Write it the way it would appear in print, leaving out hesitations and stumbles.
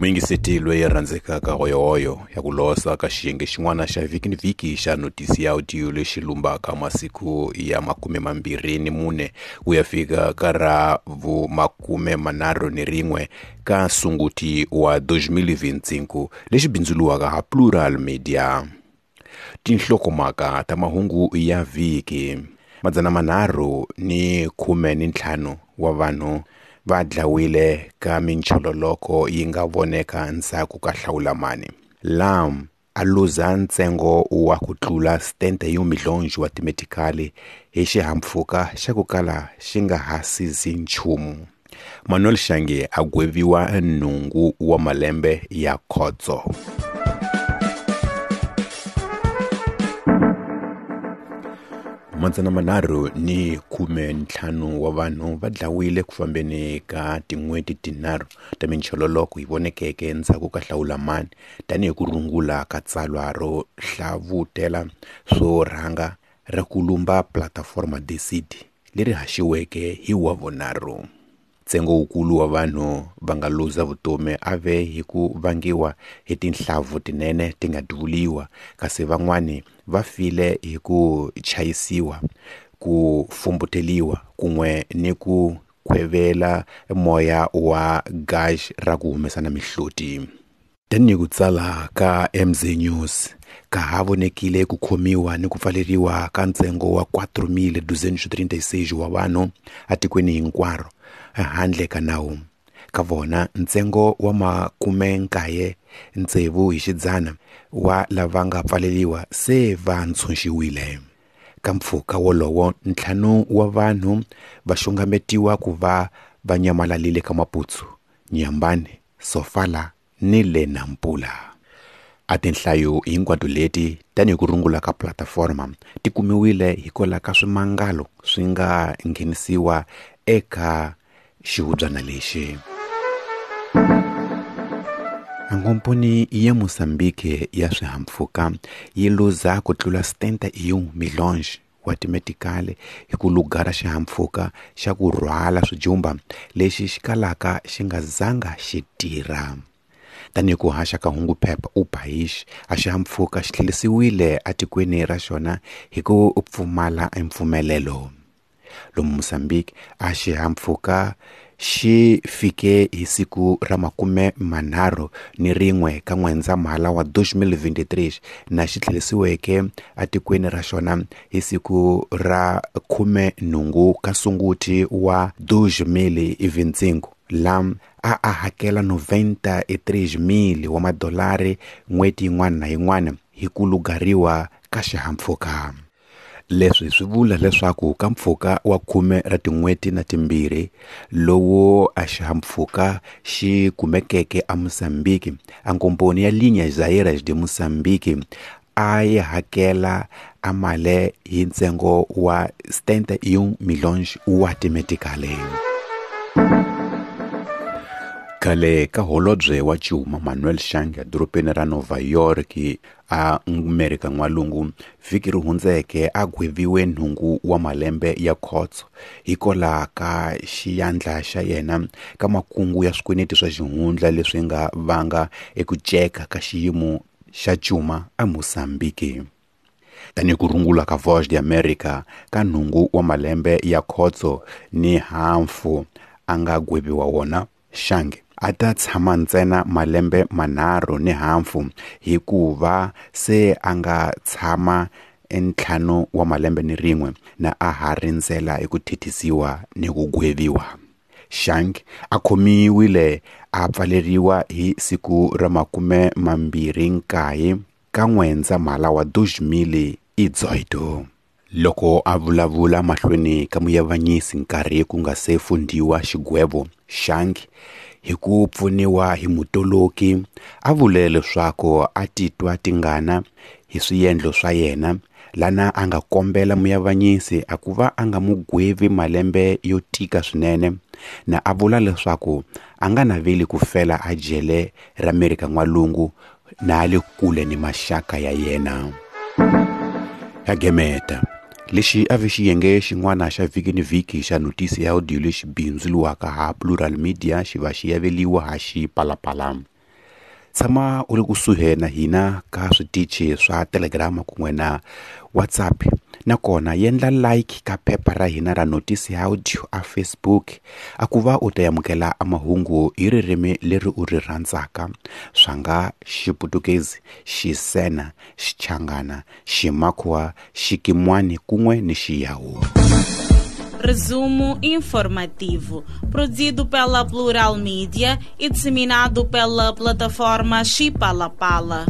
Muyingiseti loyi rhandzekaka hoyohoyo ya ku losa ka xiyenge xin'wana xa vhiki ni vhiki xa notisi ya audio lexi lumbaka masiku ya 24 ku ya fika ka ra vu 31 ka Sunguti wa 2025 lexi bindzuriwaka ha Plural Media. Tinhlokomhaka ta mahungu ya vhiki: 315 wa vanhu va dlawile ka minchololoko yi nga voneka ndzhaku ka hlawulamani. Lam a luza ntsengo wa ku tlula 71 milhonji wa timetikali hi xihahampfhuka xa ku kala xi nga ha sizi nchumu. Manuel Shange a gweviwa 8 wa malembe ya khotso. Madzana manharhu ni 15 wa vanhu va dlawile ku fambeni ka tin'hweti tinharhu ta minchololoko yi vonekeke ndzhaku ka hlawulamani tanihi ku rungula ka tsalwa ro hlavutela swo rhanga ra ku lumba Plataforma Decide leri haxiweke hi Wavunharhu. Ntsengo wukulu wa vanhu va nga luza vutomi a ve hi ku vangiwa hi tinhlavu tinene ti nga duvuliwa, kasi van'wani va file hi ku chayisiwa, ku fumbuteliwa kun'we ni ku khwevela moya wa gasi ra ku humesana mihloti. Tanihi ku tsala ka MZ News, ka ha vonekile ku khomiwa ni ku pfaleriwa ka ntsengo wa 4.236 wa vanhu etikweni hinkwaro handle ka nawu. Ka vona, ntsengo wa 96 hi xidzana wa lava nga pfaleriwa se va ntshunxiwile. Ka mpfhuka wolowo, 5 wa vanhu va xungametiwa ku va va nyamalalile ka Maputo, Inhambane, Sofala ni le Nampula. A tinhlayo hinkwato leti tanihi ku rungula ka Plataforma ti kumiwile hikwalaho ka swimangalo swi nga nghenisiwa eka xihubyana lexi. Nkomponi ya Mozambique ya swihahampfhuka yi luza ku tlula 71 milhonji wa timetikali hi ku lugara xihahampfhuka xa ku rhwala swijumba lexi xi kalaka xi nga zanga xi tirha. Tanihi ku haxa ka hungu phepha O País, a xihahampfhuka xi tlherisiwile etikweni ra xona hi ku pfumala mpfumelelo. Lomu Mozambique, a xihahampfhuka xi fike hi siku ra 31 ka N'wendzamhala wa 2023 na xi tlherisiweke etikweni ra xona hi siku ra 18 ka Sunguti wa 2025, lam a a hakela 93,000 wa madolari n'hweti yin'wana na yin'wana hi ku lugariwa ka xihahampfhuka. Leswi swi vula leswaku ka mpfhuka wa 10 ra tin'hweti na timbirhi lowu a xihahampfhuka xi kumekeke eMozambique, a nkomponi ya Linhas Aéreas de Moçambique a yi hakela a mali hi ntsengo wa 71 milhonji wa timetikali. Khale ka holobye wa Cuma Manuel Shange edorobeni ra Nova York a Amerika N'walungu vhiki ri hundzeke a gweviwe 8 wa malembe ya khotso hikwalaho ka xiyandla xa yena ka makungu ya swikweleti swa xihundla leswi nga vanga eku ceka ka xiyimo xa Cuma eMozambique. Tanihi ku rungula ka Voz de America ka 8 wa malembe ya khotso ni hafu a nga gweviwa wona, Shange a ta tshama ntsena malembe manharhu ni hafu hikuva se a nga tshama 5 wa malembe ni rin'we na a ha rindzela eku thethisiwa ni ku gweviwa. Shange a khomiwile a pfaleriwa hi siku ra 29 ka N'wendzamhala wa 2018. Loko a vulavula mahlweni ka muyavanyisi nkarhi ku nga se fundhiwa xigwevo, Shange hi ku pfuniwa hi mutoloki a vule leswaku a titwa tingana hi swiendlo swa yena, lana a nga kombela muyavanyisi a ku va a nga mu gwevi malembe yo tika swinene, na a vula leswaku a nga naveli ku fela a jele ra Amerika N'walungu na a le kule ni maxaka ya yena. Ya gemeta lexi a vi xiyenge xin'wana xa vhiki ni vhiki xa notisi ya audio lexi bindzuriwaka ha Plural Media xi va xi yaveliwa ha Xipalapala. Tshama u ri kusuhi na hina ka switichi swa Telegram kun'we na WhatsApp, nakona yendla like ka phepha ra hina ra Notice Audio a Facebook a ku va u ta amukela a mahungu hi ririmi leri u ri rhandzaka, swa nga Xiputukezi, Xisena, Xichangana, Ximakhuwa, Xikimwani kun'we ni Xiyawu. Resumo informativo, produzido pela Plural Mídia e disseminado pela plataforma Chipalapala.